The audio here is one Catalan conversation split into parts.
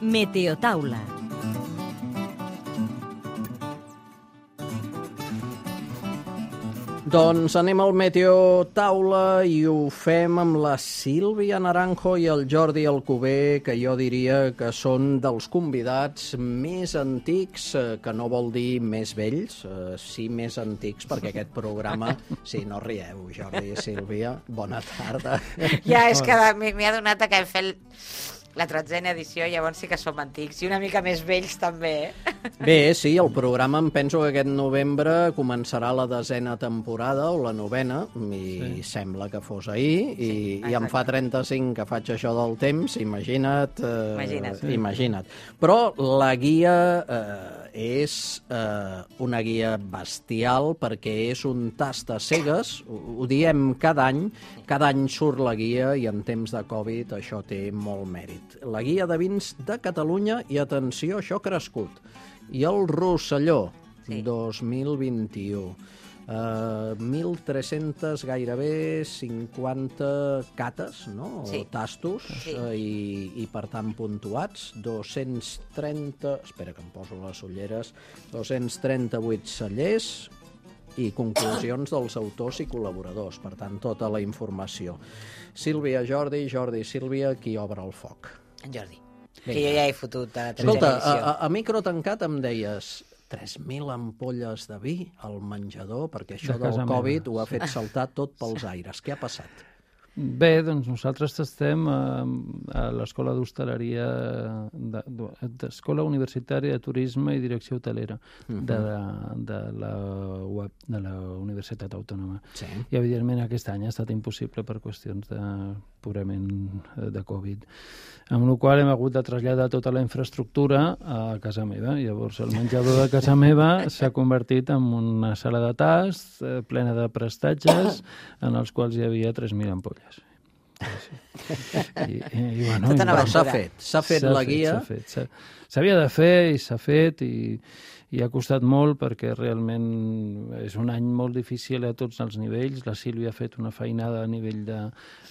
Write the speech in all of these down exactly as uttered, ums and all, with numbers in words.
Meteotaula. Doncs anem al Meteotaula i ho fem amb la Sílvia Naranjo i el Jordi Alcover, que jo diria que són dels convidats més antics, que no vol dir més vells, sí més antics, perquè aquest programa... Sí, no rieu, Jordi i Sílvia, bona tarda. Ja, és que m'he adonat que hem fet la tretzena edició, llavors sí que som antics, i una mica més vells també, eh? Bé, sí, el programa em penso que aquest novembre començarà la desena temporada, o la novena, i sí. Sembla que fos ahir, i, sí, i em fa trenta-cinc que faig això del temps, imagina't. Eh, imagina't. Sí. Imagina't. Però la guia eh, és eh, una guia bestial, perquè és un tast a cegues, ho, ho diem cada any, cada any surt la guia, i en temps de Covid això té molt mèrit. La guia de vins de Catalunya, i atenció, això ha crescut. I el Rosselló, sí. dos mil vint-i-u. Uh, mil tres-cents, gairebé cinquanta cates, no? Sí. O tastos, sí. uh, i, i per tant puntuats. dos-cents trenta... Espera que em poso les ulleres. dos-cents trenta-vuit cellers i conclusions dels autors i col·laboradors. Per tant, tota la informació. Sílvia, Jordi, Jordi, Sílvia, qui obre el foc? En Jordi. Vinga. Que jo ja he fotut a la Escolta, a, a, a micro tancat em deies tres mil ampolles de vi al menjador, perquè això del Covid meva. Ho ha fet saltar tot pels aires. Què ha passat? Bé, doncs nosaltres estem a, a l'Escola d'Hostaleria, de, de, Escola Universitària de Turisme i Direcció Hotelera uh-huh. de, de, la web, de la Universitat Autònoma. Sí. I, evidentment, aquest any ha estat impossible per qüestions de, purament de Covid. Amb la qual hem hagut de traslladar tota la infraestructura a casa meva. Llavors, el menjador de casa meva s'ha convertit en una sala de tast eh, plena de prestatges en els quals hi havia tres mil ampolles. Sí. I, i, i, bueno, i, però s'ha fet, s'ha fet la guia. S'havia de fer i s'ha fet i, i ha costat molt perquè realment és un any molt difícil a tots els nivells. La Sílvia ha fet una feinada a nivell de,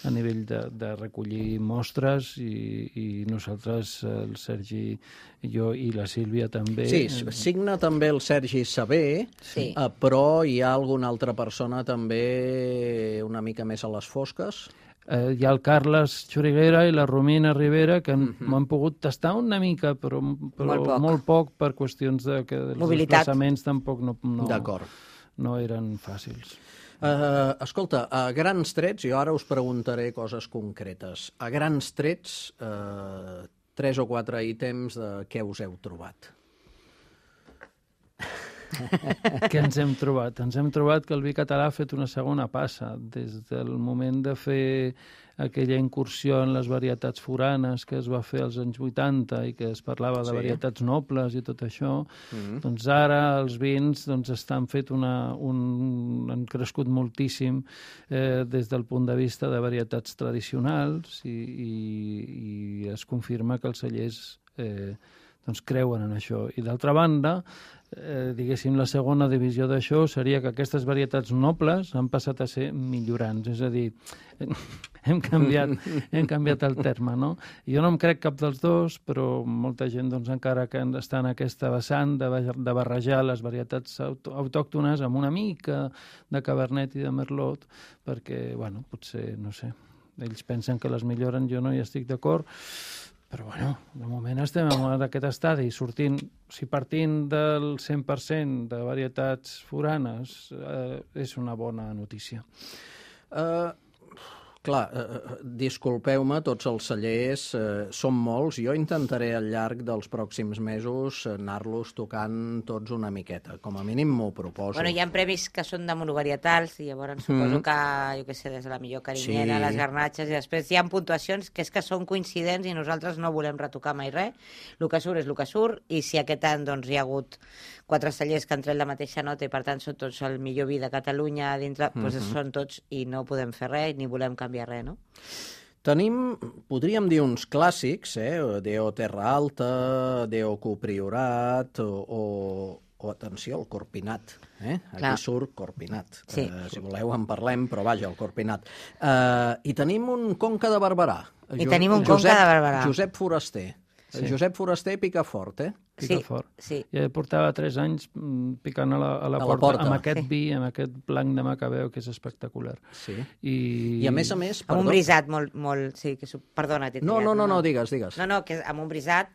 a nivell de, de recollir mostres i, i nosaltres, el Sergi, jo i la Sílvia també. Sí, signa també el Sergi Saber, sí. eh, però hi ha alguna altra persona també una mica més a les fosques? Eh, hi ha el Carles Xuriguera i la Romina Rivera, que m'han uh-huh. pogut tastar una mica, però, però molt, poc. molt poc per qüestions de que els desplaçaments tampoc no, no, no eren fàcils. Uh, escolta, a grans trets, jo ara us preguntaré coses concretes. A grans trets, uh, tres o quatre ítems de què us heu trobat. Què ens hem trobat? Ens hem trobat que el vi català ha fet una segona passa. Des del moment de fer aquella incursió en les varietats foranes que es va fer als anys vuitanta i que es parlava de sí. varietats nobles i tot això, mm-hmm. doncs ara els vins doncs, estan fet una, un, han crescut moltíssim eh, des del punt de vista de varietats tradicionals i, i, i es confirma que els cellers eh, doncs creuen en això. I d'altra banda, eh, diguéssim, la segona divisió d'això seria que aquestes varietats nobles han passat a ser millorants, és a dir, hem canviat, hem canviat el terme, no? Jo no em crec cap dels dos, però molta gent doncs, encara que està en aquesta vessant de, de barrejar les varietats aut autòctones amb una mica de Cabernet i de Merlot, perquè, bueno, potser, no sé, ells pensen que les milloren, jo no hi estic d'acord. Però, bueno, de moment estem en aquest estadi, sortint, si partint del cent per cent de varietats foranes, eh, és una bona notícia. Uh, clar, uh, disculpeu-me, tots els cellers uh, són molts. Jo intentaré al llarg dels pròxims mesos anar-los tocant tots una miqueta. Com a mínim m'ho proposo. Bueno, hi ha premis que són de monovarietals i llavors suposo mm. que, jo què sé, des de la millor carinyena, sí. les garnatxes, i després hi ha puntuacions que és que són coincidents i nosaltres no volem retocar mai res. El que surt és el que surt, i si aquest any doncs, hi ha hagut quatre cellers que han tret la mateixa nota i per tant són tots el millor vi de Catalunya dintre, mm-hmm. doncs són tots i no podem fer res ni volem canviar res, no? Tenim, podríem dir, uns clàssics, eh? Deo Terra Alta, Deo Copriorat o, o, o atenció, el Corpinat. Eh? Aquí Clar. Surt Corpinat. Sí. Uh, si voleu en parlem, però vaja, el Corpinat. Uh, I tenim un Conca de Barberà. I jo, tenim un Josep, Conca de Barberà. Josep Foraster. Sí. Josep Foraster pica fort, eh? Pica sí, fort. Sí. Ja portava tres anys picant a la, a la, a porta, la porta, amb aquest sí. vi, amb aquest blanc de Macabeu, que és espectacular. Sí. I, I a més a més... Amb un brisat molt... molt sí, que, perdona, t'he no, triat. no, no, no, digues, digues. No, no, que amb un brisat,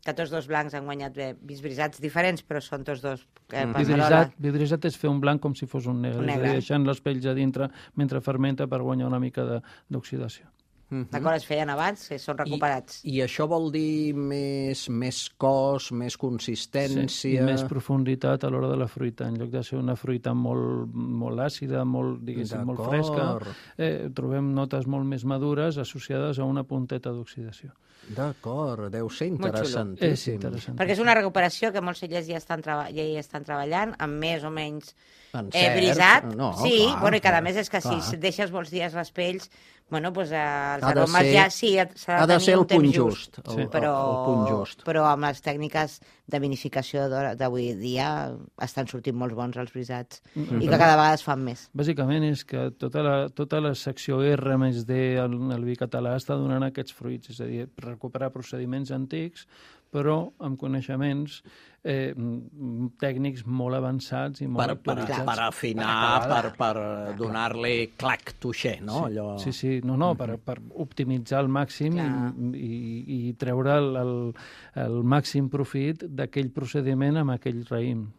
que tots dos blancs han guanyat bé, vins brisats diferents, però són tots dos eh, Mm. Passarola. Vidrisat, vidrisat és fer un blanc com si fos un negre, Un és a negre. dir, deixant les pells a dintre mentre fermenta per guanyar una mica de- d'oxidació. Mhm. D'acord, es feien abans, que són recuperats. I, I això vol dir més, més cos, més Sí, consistència... i més profunditat a l'hora de la fruita. En lloc de ser una fruita molt, molt àcida, molt, diguéssim, molt D'acord. fresca, eh, trobem notes molt més madures associades a una punteta d'oxidació. D'acord, deu ser Molt xulo. interessantíssim. És interessant. Perquè és una recuperació que molts cellers ja estan, treba ja hi estan treballant, amb més o menys En eh, cert, brisat. no, sí, clar, bueno, i cada clar, més és que clar. si deixes molts dies les pells, bueno, doncs, eh, els Ha de aromes ser- ja sí, s'ha de ha de tenir ser el un temps punt just, el- Sí. el- però, el punt just. però amb les tècniques de vinificació d'ara- d'avui dia estan sortint molts bons els brisats Mm-hmm. i que cada vegada es fan més. Bàsicament és que tota la, tota la secció R més D al, al vi català està donant aquests fruits, és a dir, recuperar procediments antics, però amb coneixements eh, m- tècnics molt avançats i molt Per, per, actualitzats. per afinar, per, per donar-li clac tuixer, no? Allò... Sí, sí, no, no, per, per optimitzar al màxim Clar. i, i treure el, el, el màxim profit d'aquell procediment amb aquell raïm.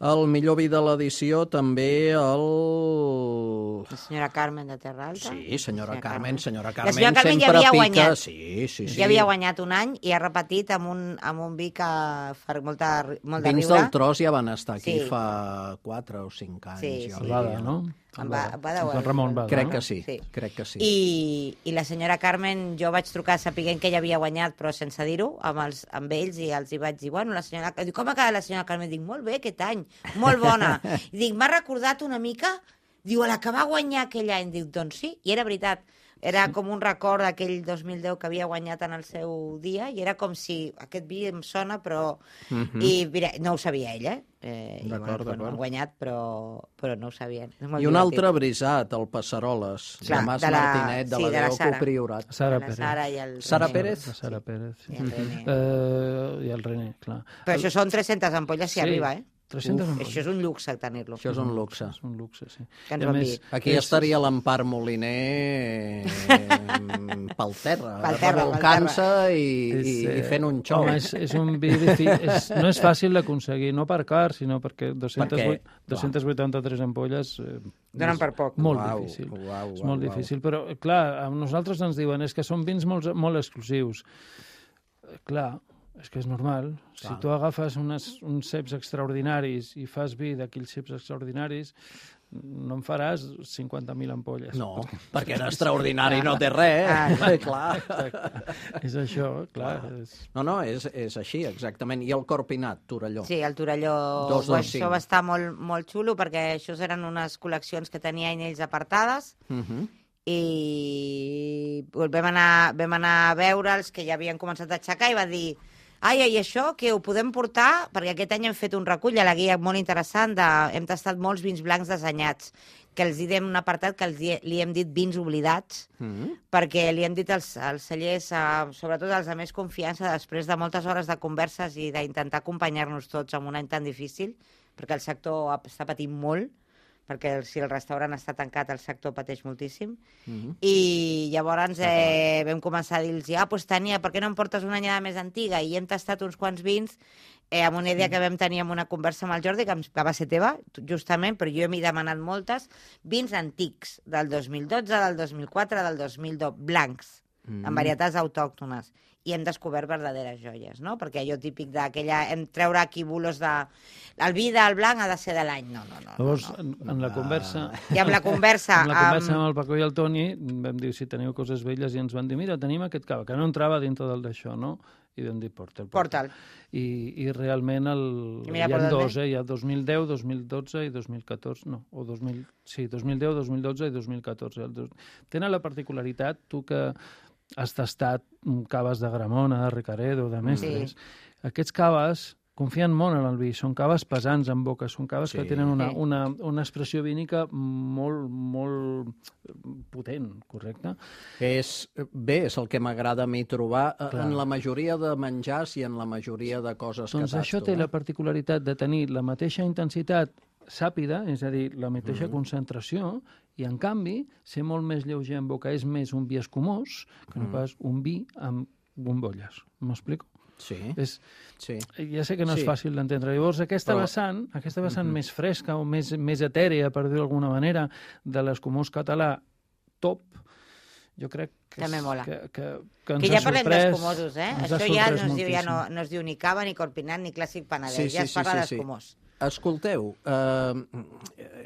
El millor vi de l'edició també el... La senyora Carmen de Terra Alta. Sí, senyora Carmen, senyora La Carmen senyora Carmen ja sempre havia pica... guanyat. Sí, sí, sí. Ja havia guanyat un any i ha repetit amb un, amb un vi que fa molta, molt de Vins riure. del Tros ja van estar aquí Sí. fa quatre o cinc anys. Sí, jo sí. diria. Bada, no? Em va, va de Amb Joan Ramon Bada, Crec no? que sí, Sí. crec que sí. I, I la senyora Carmen, jo vaig trucar sapiguent que ella havia guanyat, però sense dir-ho, amb, els, amb ells, i els hi vaig dir, bueno, la senyora... Dic, com ha quedat la senyora Carmen? Dic, molt bé, aquest any, molt bona. I dic, m'ha recordat una mica, diu, a la que va guanyar aquell any. Dic, doncs sí, i era veritat. Era com un record d'aquell dos mil deu que havia guanyat en el seu dia, i era com si aquest vi em sona, però... Mhm. I mira, no ho sabia ella, eh? I, D'acord, bueno, d'acord. han guanyat, però, però no ho sabien. És molt I un divertit. altre brisat, el Passaroles, Clar, de Mas de la- Martinet, de sí, la de la Déu Sara. Priorat. Sara La Pérez. Sara i el Sara René. Pérez? La Sara Pérez, sí. I el René. Eh, I el René, clar. Però això són tres-centes ampolles si Sí. arriba, eh? tres-cents Uf. Això és un luxe tenir-lo. Això és un luxe. És un luxe, sí. Que ens I a van més, dir. Aquí és- estaria l'Empar Moliner eh, pel terra, Pel terra, revolcant-se i, és, i, i eh, fent un xou. Home, és, és un vi difícil, és, no és fàcil d'aconseguir, no per car, sinó perquè dos-cents vuit- Perquè, dos-cents vuitanta-tres ampolles... Eh, Donen és per poc. Molt Uau, difícil. uau, és uau, molt uau. difícil, però, clar, a nosaltres ens diuen és que són vins molt, molt exclusius. Eh, Clar, és que és normal. Si Clar. tu agafes unes, uns ceps extraordinaris i fas vi d'aquells ceps extraordinaris, no en faràs cinquanta mil ampolles. No, perquè en extraordinari no té res, eh? Clar. És això, clar. És... No, no, és, és així, exactament. I el Corpinat, Torelló. Sí, el Torelló, Dos, dos, això cinc. va estar molt, molt xulo perquè això eren unes col·leccions que tenia ells apartades Uh -huh. i vam anar, vam anar a veure'ls, que ja havien començat a aixecar, i va dir, ai, i això, que ho podem portar? Perquè aquest any hem fet un recull a la guia molt interessant, de, hem tastat molts vins blancs desanyats, que els hi dem un apartat que els hi, li hem dit vins oblidats, Uh -huh. perquè li hem dit als, als cellers, eh, sobretot als de més confiança, després de moltes hores de converses i d'intentar acompanyar-nos tots en un any tan difícil, perquè el sector ha- està patint molt, perquè si el restaurant està tancat el sector pateix moltíssim, Uh -huh. i llavors eh, vam començar a dir-los, ah, doncs Tània, per què no em portes una anyada més antiga? I hem tastat uns quants vins eh, amb una idea que vam tenir en una conversa amb el Jordi, que, em, que va ser teva, justament, però jo m'he demanat moltes, vins antics, del dos mil dotze, del dos mil quatre, del dos mil deu, blancs, mm. amb varietats autòctones, i hem descobert verdaderes joies, no? Perquè allò típic d'aquella... Hem treure aquí bulos de... El vi del blanc ha de ser de l'any. No, no, no. Llavors, no, no. en, en la conversa... I amb la conversa... amb la conversa amb... amb el Paco i el Toni vam dir si teniu coses velles i ens van dir mira, tenim aquest cava, que no entrava dintre del d'això, no? I vam dir porta'l. Porta'l. I, I realment el... I mira hi per ha on dos, eh? Hi ha dos mil deu, dos mil dotze i dos mil catorze, no, o dos mil... Sí, dos mil deu, dos mil dotze i dos mil catorze. El dos... Tenen la particularitat, tu que has tastat caves de Gramona, de Ricaredo, de Mestres, sí. Aquests caves confien molt en el vi. Són caves pesants en boca, són caves Sí. que tenen una, Sí. una, una expressió vínica molt, molt potent, correcte? És, bé, és el que m'agrada a mi trobar eh, Clar. en la majoria de menjars i en la majoria de coses Doncs que això tasto. té eh? la particularitat de tenir la mateixa intensitat sàpida, és a dir, la mateixa concentració, i en canvi ser molt més lleuger en boca. És més un vi escumós que no pas un vi amb bombolles. M'explico? Sí, És, sí. ja sé que no Sí. és fàcil d'entendre. Llavors, aquesta Però- vessant, aquesta vessant més fresca o més, més etèrea, per dir-ho d'alguna manera, de l'escumós català top, jo crec que, També és- mola. que, que, que ens Que ja ha parlem sorprès, d'escumosos, eh? ens ha Això ja no sorprès es, diu, ja, no, moltíssim. no es diu ni cava, ni corpinat, ni clàssic penedès. Sí, sí, ja es sí, parla sí, sí. d'escumós. Escolteu, eh,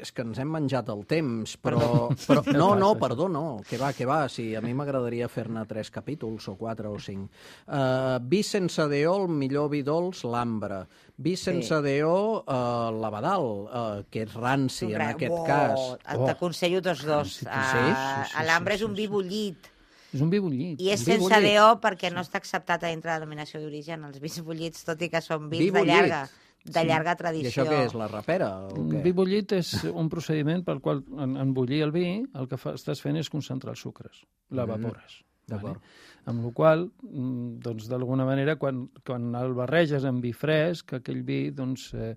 és que ens hem menjat el temps, però... però no, no, perdó, no, que va, que va, sí, a mi m'agradaria fer-ne tres capítols, o quatre o cinc. Uh, vi sense D O, el millor vi dolç, l'ambre. Vi sense Sí. D O, uh, l'abadal, uh, que és ranci, en Gra- aquest Bo, cas. Oh, T'aconsello tots dos. sí, sí, Ah, sí, sí, L'ambre sí, és un sí, vi sí. bullit. És un vi bullit. I és Un vi sense bullit. D O perquè no està acceptat a dintre de la denominació d'origen. Els vins bullits, tot i que són vins Vi de bullit. llarga, de llarga I tradició. això què és, la rapera? O Un què? vi bullit és un procediment pel qual, en, en bullir el vi, el que fa, estàs fent és concentrar els sucres, l'evapores. D'acord. Amb la qual cosa, doncs, d'alguna manera, quan, quan el barreges amb vi fresc, aquell vi doncs, eh,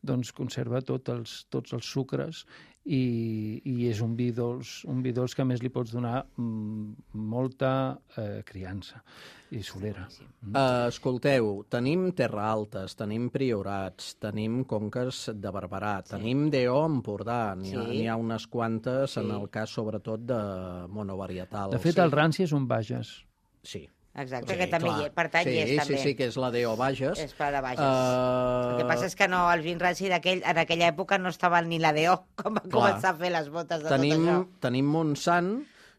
doncs conserva tot els, tots els sucres i, i és un vi dolç, un vi dolç que a més li pots donar mm, molta eh, criança i solera. Uh, escolteu, tenim Terra Altes, tenim Priorats, tenim Conques de Barberà, sí. tenim D O Empordà, n'hi ha, Sí. n'hi ha unes quantes, Sí. en el cas sobretot de monovarietal. De fet, sí. el ranci és un Bages. Sí. Exacte, Sí, que també clar. hi és, per tant sí, hi és també. Sí, sí, que és la D O Bages. És per a Bages. Uh, El que passa és que no, el vin ranci d'aquell, en aquella època no estaven ni la D O, com va Clar. començar a fer les botes de tenim, tot això. tenim Montsant,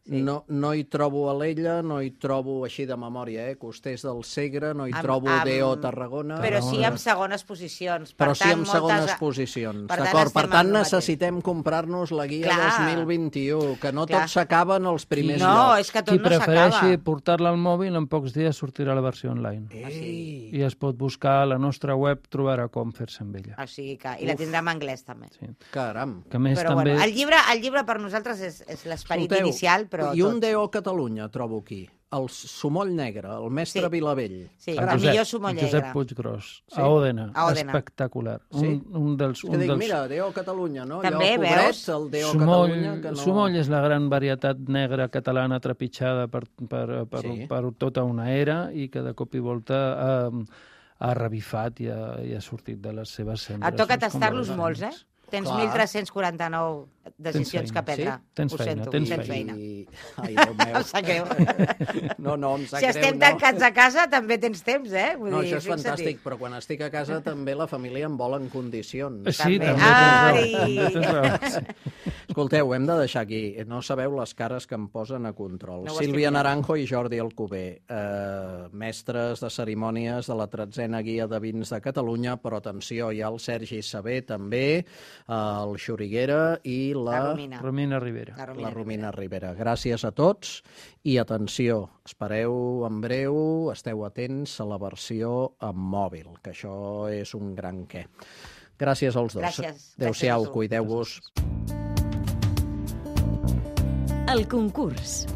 Sí. no, no hi trobo Alella, no hi trobo així de memòria, eh? Costers del Segre, no hi Amb- trobo amb- D O Tarragona. Però sí Tarragona. amb segones posicions. Per Però sí tant, amb segones moltes... posicions, Per tant, d'acord? Per estem tant, amb el mateix. necessitem comprar-nos la guia Clar. dos mil vint-i-u, que no Clar. tot s'acaba en els primers No, llocs. és que tot Qui no prefereixi s'acaba. portar-la al mòbil, en pocs dies sortirà la versió online. Ei, I es pot buscar a la nostra web, trobarà com fer-se amb ella. O sigui que... I la tindrà en anglès, també. Sí. caram. Que a més Però també... bueno, el llibre, el llibre per nosaltres és, és l'esperit Escolteu, inicial, però I un tot. D O Catalunya trobo aquí, el Sumoll Negre, el mestre Sí. Vilavell. Sí, el el Josep, millor sumo el negre. Josep Puiggròs, Sí? a Òdena, A Òdena. espectacular. Sí? Un, un dels, És un que dic, dels... mira, D O Catalunya, no? També, Allò pobret, veus? el D O Sumoll, Catalunya, que no... Sumoll és la gran varietat negra catalana trepitjada per, per, per, Sí. per tota una era i que de cop i volta ha, ha revifat i ha, i ha sortit de les seves cendres. Et toca doncs, com tastar-los les molts, eh? ànimes. Tens Clar. mil tres-cents quaranta-nou decisions feina, que prendre. sí? Tens Ho feina, sento, tens tens feina. feina. I... Ai, Déu meu. Em sap greu. No, no, em sap Si greu, estem no. tancats a casa, també tens temps, eh? Vull No, dir, això és fixa't-hi. fantàstic, però quan estic a casa també la família em vol en condicions. Sí, També. també, Ai! tens raó. Tens raó. Sí. Escolteu, hem de deixar aquí. No sabeu les cares que em posen a control. No ho Sílvia estic Naranjo i Jordi Alcover, eh, mestres de cerimònies de la tretzena guia de vins de Catalunya, però atenció, hi ha el Sergi Saber també, eh, el Xuriguera i la, La Romina. Romina Rivera. La Romina. la Romina Rivera. Gràcies a tots i atenció, espereu en breu, esteu atents a la versió en mòbil, que això és un gran què. Gràcies als dos. Gràcies. Adéu-siau, Gràcies a tu. cuideu-vos. El concurs.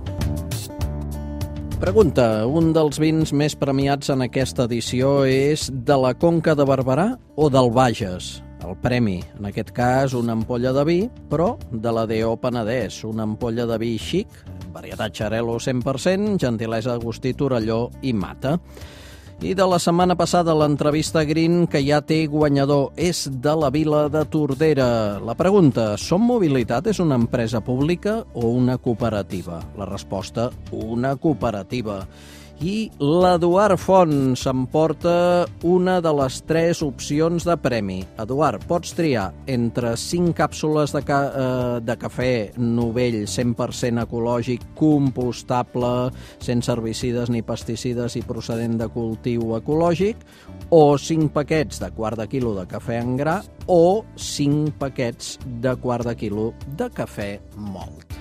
Pregunta, un dels vins més premiats en aquesta edició és de la Conca de Barberà o del Bages? El premi, en aquest cas, una ampolla de vi, però de la D O Penedès, una ampolla de vi xic, varietat Xarel·lo cent per cent, gentilesa Agustí Torelló i Mata. I de la setmana passada, l'entrevista Green, que ja té guanyador, és de la vila de Tordera. La pregunta, Som Mobilitat és una empresa pública o una cooperativa? La resposta, una cooperativa. I l'Eduard Font s'emporta una de les tres opcions de premi. Eduard, pots triar entre cinc càpsules de, ca eh, de cafè Novell cent per cent ecològic, compostable, sense herbicides ni pesticides i procedent de cultiu ecològic, o cinc paquets de quart de quilo de cafè en gra o cinc paquets de quart de quilo de cafè mòlt.